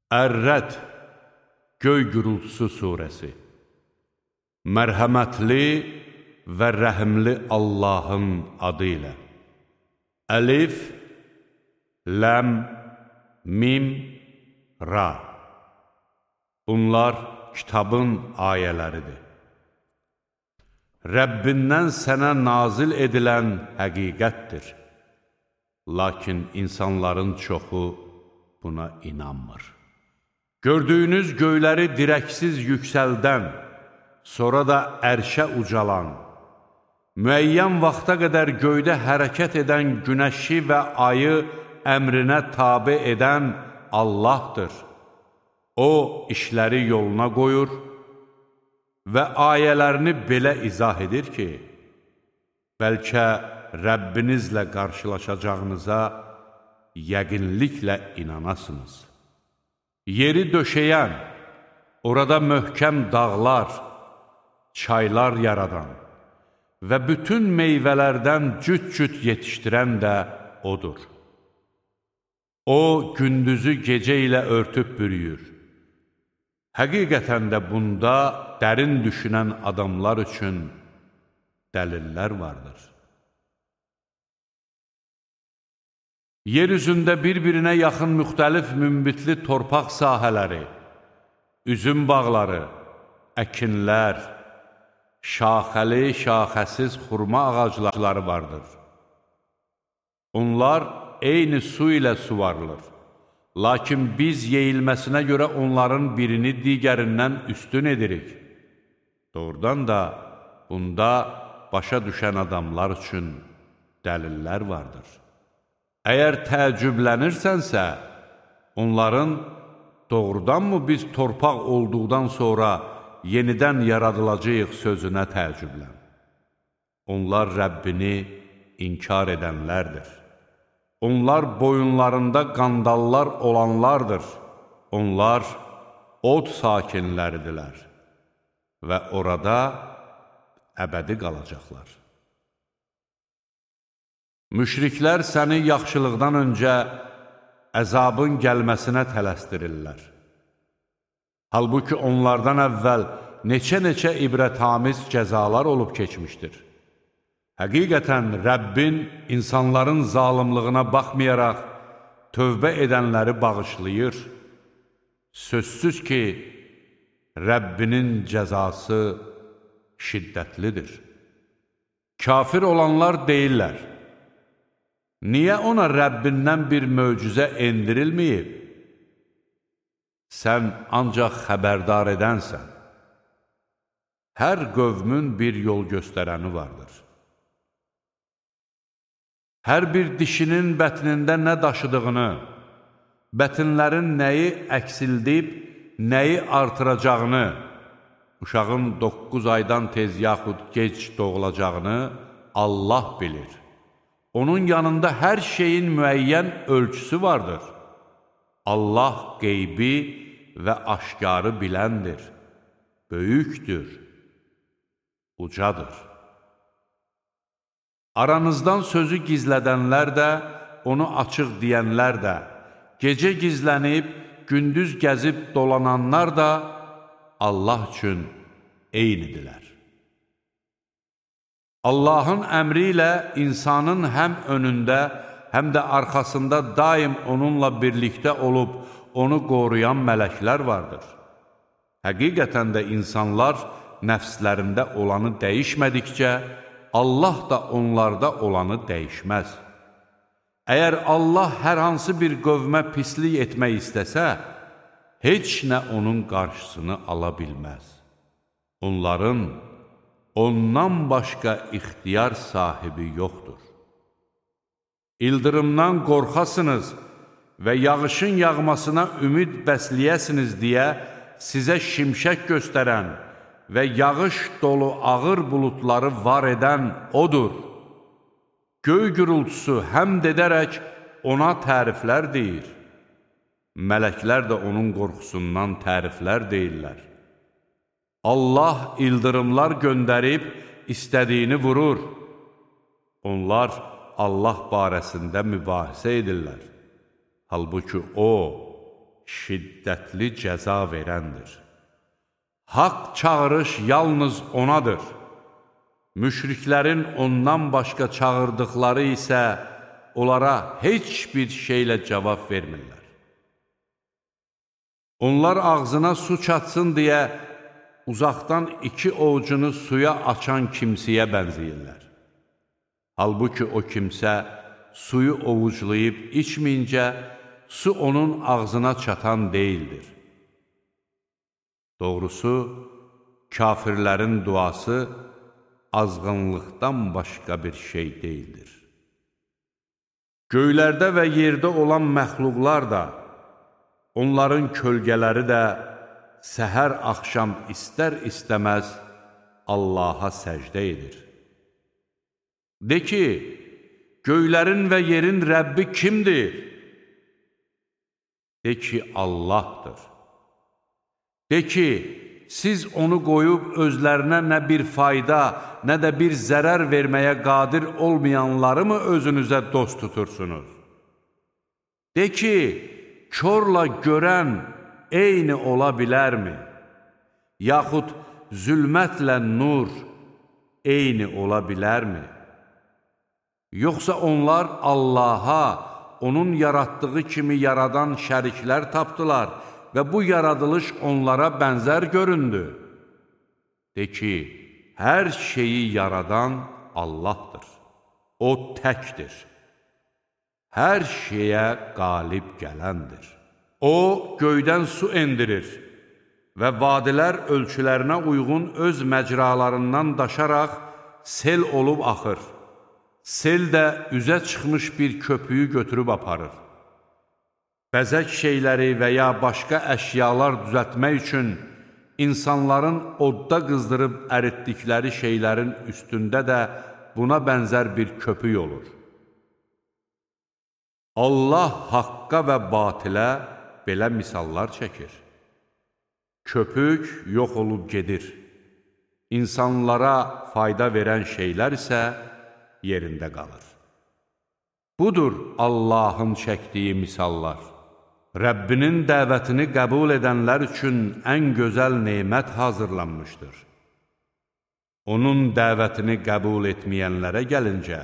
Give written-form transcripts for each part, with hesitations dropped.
Ər-Rəd, Göy Gürültüsü surəsi. Mərhəmətli və rəhimli Allahın adı ilə. Əlif, Ləm, Mim, Ra. Bunlar kitabın ayələridir. Rəbbindən sənə nazil edilən həqiqətdir. Lakin insanların çoxu buna inanmır. Gördüyünüz göyləri dirəksiz yüksəldən, sonra da ərşə ucalan, müəyyən vaxta qədər göydə hərəkət edən günəşi və ayı əmrinə tabe edən Allahdır. O, işləri yoluna qoyur və ayələrini belə izah edir ki, bəlkə Rəbbinizlə qarşılaşacağınıza yəqinliklə inanasınız. Yeri döşəyən, orada möhkəm dağlar, çaylar yaradan və bütün meyvələrdən cüt-cüt yetişdirən də O'dur. O, gündüzü gecə ilə örtüb bürüyür. Həqiqətən də bunda dərin düşünən adamlar üçün dəlillər vardır. Yer üzündə bir-birinə yaxın müxtəlif münbitli torpaq sahələri, üzüm bağları, əkinlər, şaxəli, şaxəsiz xurma ağacları vardır. Onlar eyni su ilə suvarılır. Lakin biz yeyilməsinə görə onların birini digərindən üstün edirik. Doğrudan da bunda başa düşən adamlar üçün dəlillər vardır. Əgər təəccüblənirsənsə, onların doğrudanmı biz torpaq olduqdan sonra yenidən yaradılacağıq sözünə təəccüblən. Onlar Rəbbini inkar edənlərdir. Onlar boyunlarında qandallar olanlardır. Onlar od sakinləridirlər və orada əbədi qalacaqlar. Müşriklər səni yaxşılıqdan öncə əzabın gəlməsinə tələsdirirlər. Halbuki onlardan əvvəl neçə-neçə ibrətamiz cəzalar olub keçmişdir. Həqiqətən Rəbbin insanların zalımlığına baxmayaraq tövbə edənləri bağışlayır. Sözsüz ki, Rəbbinin cəzası şiddətlidir. Kafir olanlar deyirlər, niyə ona Rəbbindən bir möcüzə endirilməyib? Sən ancaq xəbərdar edənsən. Hər qövmün bir yol göstərəni vardır. Hər bir dişinin bətnində nə daşıdığını, bətinlərin nəyi əksildib, nəyi artıracağını, uşağın 9 aydan tez yaxud gec doğulacağını Allah bilir. Onun yanında hər şeyin müəyyən ölçüsü vardır. Allah qeybi və aşkarı biləndir, böyükdür, ucadır. Aranızdan sözü gizlədənlər də, onu açıq deyənlər də, gecə gizlənib, gündüz gəzib dolananlar da Allah üçün eynidirlər. Allahın əmri ilə insanın həm önündə, həm də arxasında daim onunla birlikdə olub, onu qoruyan mələklər vardır. Həqiqətən də insanlar nəfslərində olanı dəyişmədikcə, Allah da onlarda olanı dəyişməz. Əgər Allah hər hansı bir qövmə pislik etmək istəsə, heç nə onun qarşısını ala bilməz. Onların ondan başqa ixtiyar sahibi yoxdur. İldırımdan qorxasınız və yağışın yağmasına ümid bəsləyəsiniz deyə sizə şimşək göstərən və yağış dolu ağır buludları var edən O'dur. Göy gürültüsü həmd edərək ona təriflər deyir. Mələklər də onun qorxusundan təriflər deyirlər. Allah ildırımlar göndərib istədiyini vurur. Onlar Allah barəsində mübahisə edirlər. Halbuki O, şiddətli cəza verəndir. Haqq çağırış yalnız onadır. Müşriklərin ondan başqa çağırdıqları isə onlara heç bir şeylə cavab vermirlər. Onlar ağzına su çatsın deyə uzaqdan iki ovucunu suya açan kimsəyə bənzəyirlər. Halbuki o kimsə suyu ovuclayıb içməyincə su onun ağzına çatan deyildir. Doğrusu, kafirlərin duası azğınlıqdan başqa bir şey deyildir. Göylərdə və yerdə olan məxluqlar da, onların kölgələri də səhər-axşam istər-istəməz Allaha səcdə edir. De ki, göylərin və yerin Rəbbi kimdir? De ki, Allahdır. De ki, siz onu qoyub özlərinə nə bir fayda, nə də bir zərər verməyə qadir olmayanları mı özünüzə dost tutursunuz? De ki, körlə görən eyni ola bilərmi? Yaxud zülmətlə nur eyni ola bilərmi? Yoxsa onlar Allaha, onun yaratdığı kimi yaradan şəriklər tapdılar və bu yaradılış onlara bənzər göründü. De ki, hər şeyi yaradan Allahdır. O təkdir. Hər şeyə qalib gələndir. O, göydən su endirir və vadilər ölçülərinə uyğun öz məcralarından daşaraq sel olub axır. Sel də üzə çıxmış bir köpüyü götürüb aparır. Bəzək şeyləri və ya başqa əşyalar düzəltmək üçün insanların odda qızdırıb əritdikləri şeylərin üstündə də buna bənzər bir köpük olur. Allah haqqa və batilə belə misallar çəkir. Köpük yox olub gedir. İnsanlara fayda verən şeylər isə yerində qalır. Budur Allahın çəkdiyi misallar. Rəbbinin dəvətini qəbul edənlər üçün ən gözəl nemət hazırlanmışdır. Onun dəvətini qəbul etməyənlərə gəlincə,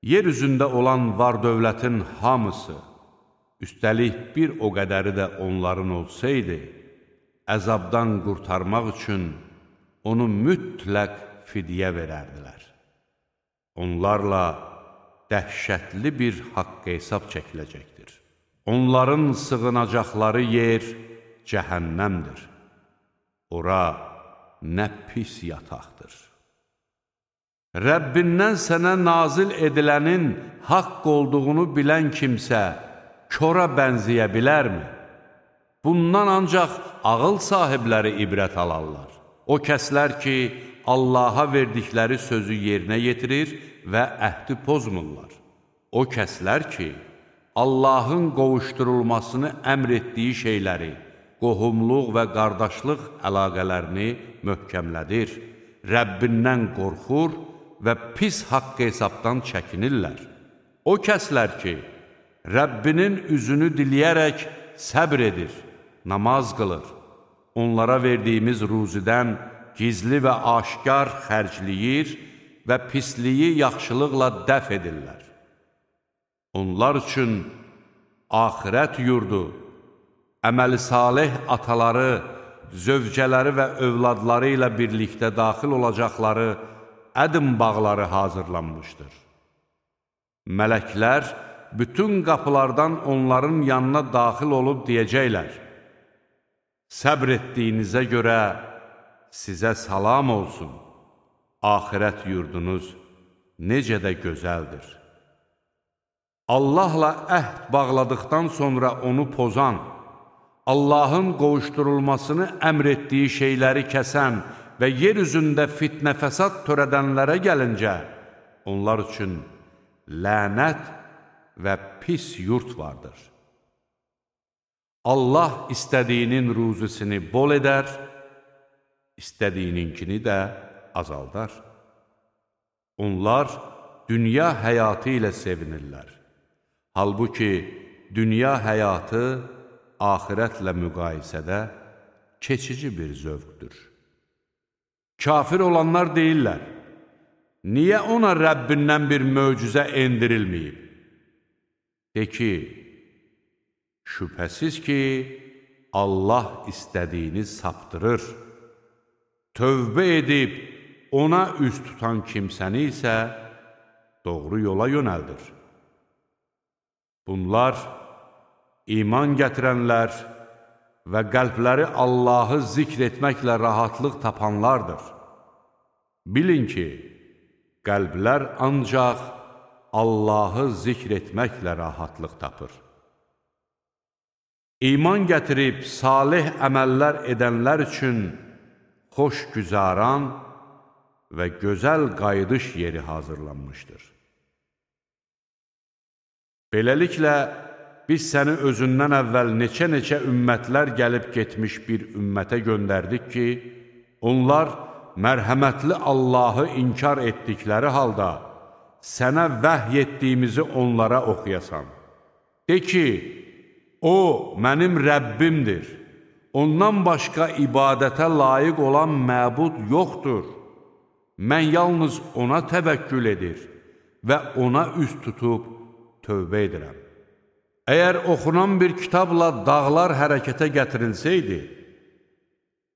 yer üzündə olan var-dövlətin hamısı, üstəlik bir o qədəri də onların olsaydı, əzabdan qurtarmaq üçün onu mütləq fidyə verərdilər. Onlarla dəhşətli bir haqq hesab çəkiləcəkdir. Onların sığınacaqları yer cəhənnəmdir. Ora nə pis yataqdır. Rəbbindən sənə nazil edilənin haqq olduğunu bilən kimsə kora bənzəyə bilərmi? Bundan ancaq ağıl sahibləri ibrət alarlar. O kəslər ki, Allaha verdikləri sözü yerinə yetirir və əhdi pozmurlar. O kəslər ki, Allahın qovuşdurulmasını əmr etdiyi şeyləri, qohumluq və qardaşlıq əlaqələrini möhkəmlədir, Rəbbindən qorxur və pis haqq hesabdan çəkinirlər. O kəslər ki, Rəbbinin üzünü diləyərək səbr edir, namaz qılır, onlara verdiyimiz ruzidən gizli və aşkar xərcləyir və pisliyi yaxşılıqla dəf edirlər. Onlar üçün axirət yurdu, əməli salih ataları, zövcələri və övladları ilə birlikdə daxil olacaqları ədm bağları hazırlanmışdır. Mələklər bütün qapılardan onların yanına daxil olub deyəcəklər: Səbr etdiyinizə görə sizə salam olsun, axirət yurdunuz necə də gözəldir. Allahla əhd bağladıqdan sonra onu pozan, Allahın qovuşdurulmasını əmr etdiyi şeyləri kəsən və yer üzündə fitnə-fəsad törədənlərə gəlincə, onlar üçün lənət və pis yurt vardır. Allah istədiyinin ruzisini bol edər, istədiyininkini də azaldar. Onlar dünya həyatı ilə sevinirlər. Halbuki dünya həyatı axirətlə müqayisədə keçici bir zövqdür. Kafir olanlar deyirlər, niyə ona Rəbbindən bir möcüzə endirilməyib? De ki, şübhəsiz ki, Allah istədiyini saptırır. Tövbə edib ona üz tutan kimsəni isə doğru yola yönəldir. Bunlar iman gətirənlər və qəlbləri Allahı zikr etməklə rahatlıq tapanlardır. Bilin ki, qəlblər ancaq Allahı zikr etməklə rahatlıq tapır. İman gətirib salih əməllər edənlər üçün xoş güzaran və gözəl qayıdış yeri hazırlanmışdır. Beləliklə, biz səni özündən əvvəl neçə-neçə ümmətlər gəlib getmiş bir ümmətə göndərdik ki, onlar mərhəmətli Allahı inkar etdikləri halda sənə vəhy etdiyimizi onlara oxuyasan. De ki, o mənim Rəbbimdir, ondan başqa ibadətə layiq olan məbud yoxdur. Mən yalnız ona təvəkkül edir və ona üz tutub tövbə edirəm. Əgər oxunan bir kitabla dağlar hərəkətə gətirilsəydi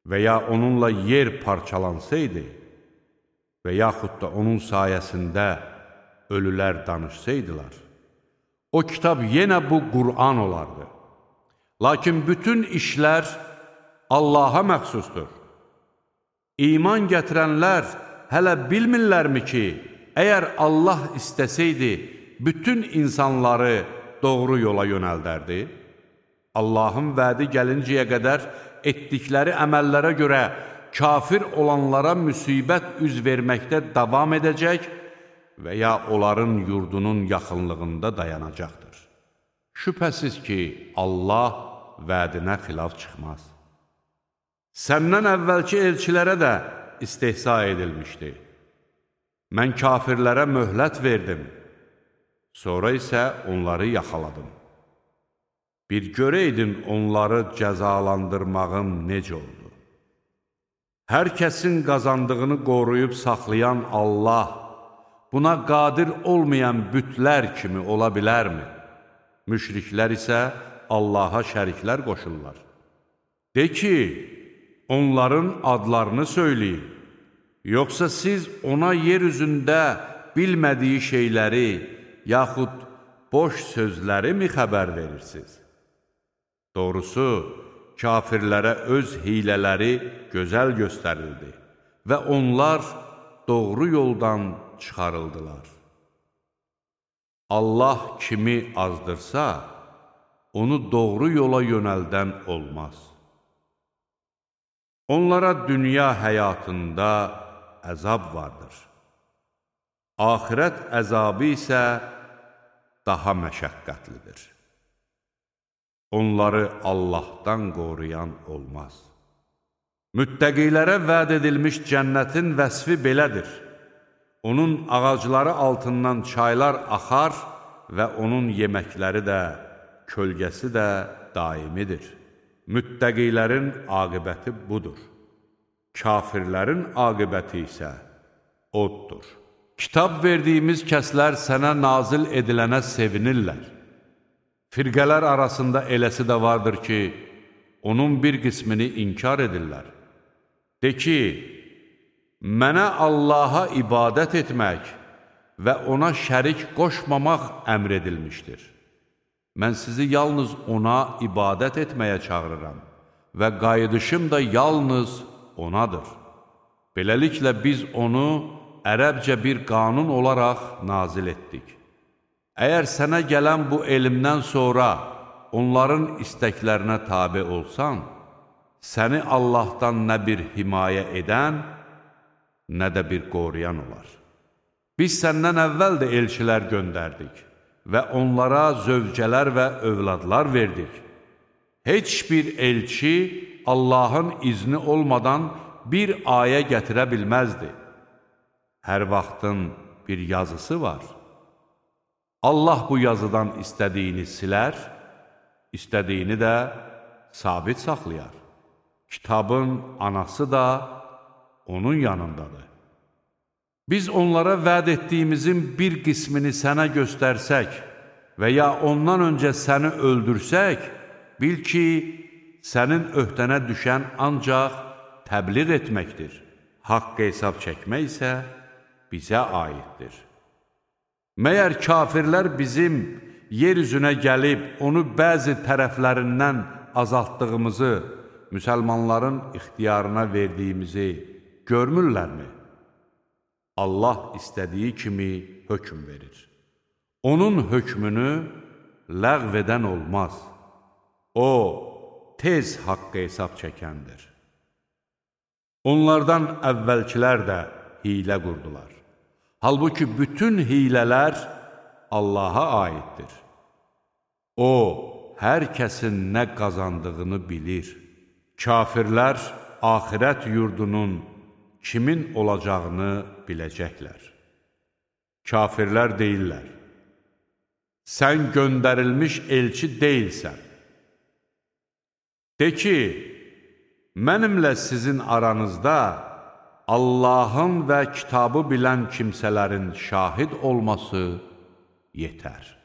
və ya onunla yer parçalansaydı və yaxud da onun sayəsində ölülər danışsaydılar, o kitab yenə bu Qur'an olardı. Lakin bütün işlər Allaha məxsusdur. İman gətirənlər hələ bilmirlərmi ki, əgər Allah istəsəydi, bütün insanları doğru yola yönəldərdi? Allahın vədi gəlincəyə qədər etdikləri əməllərə görə kafir olanlara müsibət üz verməkdə davam edəcək və ya onların yurdunun yaxınlığında dayanacaqdır. Şübhəsiz ki, Allah vədinə xilaf çıxmaz. Səndən əvvəlki elçilərə də istehza edilmişdi. Mən kafirlərə möhlət verdim, sonra isə onları yaxaladım. Bir görəydin onları cəzalandırmağım necə oldu. Hər kəsin qazandığını qoruyub saxlayan Allah, buna qadir olmayan bütlər kimi ola bilərmi? Müşriklər isə Allaha şəriklər qoşurlar. De ki, onların adlarını söyləyin, yoxsa siz ona yer üzündə bilmədiyi şeyləri, yaxud boş sözləri mi xəbər verirsiniz? Doğrusu, kafirlərə öz hilələri gözəl göstərildi və onlar doğru yoldan çıxarıldılar. Allah kimi azdırsa, onu doğru yola yönəldən olmaz. Onlara dünya həyatında əzab vardır. Axirət əzabı isə daha məşəqqətlidir. Onları Allahdan qoruyan olmaz. Müttəqilərə vəd edilmiş cənnətin vəsfi belədir. Onun ağacları altından çaylar axar və onun yeməkləri də, kölgəsi də daimidir. Müttəqilərin aqibəti budur. Kafirlərin aqibəti isə oddur. Kitab verdiyimiz kəslər sənə nazil edilənə sevinirlər. Firqələr arasında eləsi də vardır ki, onun bir qismini inkar edirlər. De ki, mənə Allaha ibadət etmək və ona şərik qoşmamaq əmr edilmişdir. Mən sizi yalnız ona ibadət etməyə çağırıram və qayıdışım da yalnız onadır. Beləliklə biz onu ərəbcə bir qanun olaraq nazil etdik. Əgər sənə gələn bu elmdən sonra onların istəklərinə tabe olsan, səni Allahdan nə bir himayə edən, nə də bir qoruyan olar. Biz səndən əvvəl də elçilər göndərdik və onlara zövcələr və övladlar verdik. Heç bir elçi Allahın izni olmadan bir ayə gətirə bilməzdi. Hər vaxtın bir yazısı var. Allah bu yazıdan istədiyini silər, istədiyini də sabit saxlayar. Kitabın anası da onun yanındadır. Biz onlara vəd etdiyimizin bir qismini sənə göstərsək və ya ondan öncə səni öldürsək, bil ki, sənin öhdənə düşən ancaq təbliğ etməkdir. Haqq hesab çəkmək isə bizə aiddir. Məyər kafirlər bizim yer üzünə gəlib, onu bəzi tərəflərindən azaltdığımızı, müsəlmanların ixtiyarına verdiyimizi görmürlərmi? Allah istədiyi kimi hökm verir. Onun hökmünü ləğv edən olmaz. O, tez haqqa hesab çəkəndir. Onlardan əvvəlkilər də hiylə qurdular. Halbuki bütün hiylələr Allaha aiddir. O, hər kəsin nə qazandığını bilir. Kafirlər axirət yurdunun kimin olacağını biləcəklər. Kafirlər deyirlər, sən göndərilmiş elçi deyilsən. De ki, mənimlə sizin aranızda Allahın və kitabı bilən kimsələrin şahid olması yetər.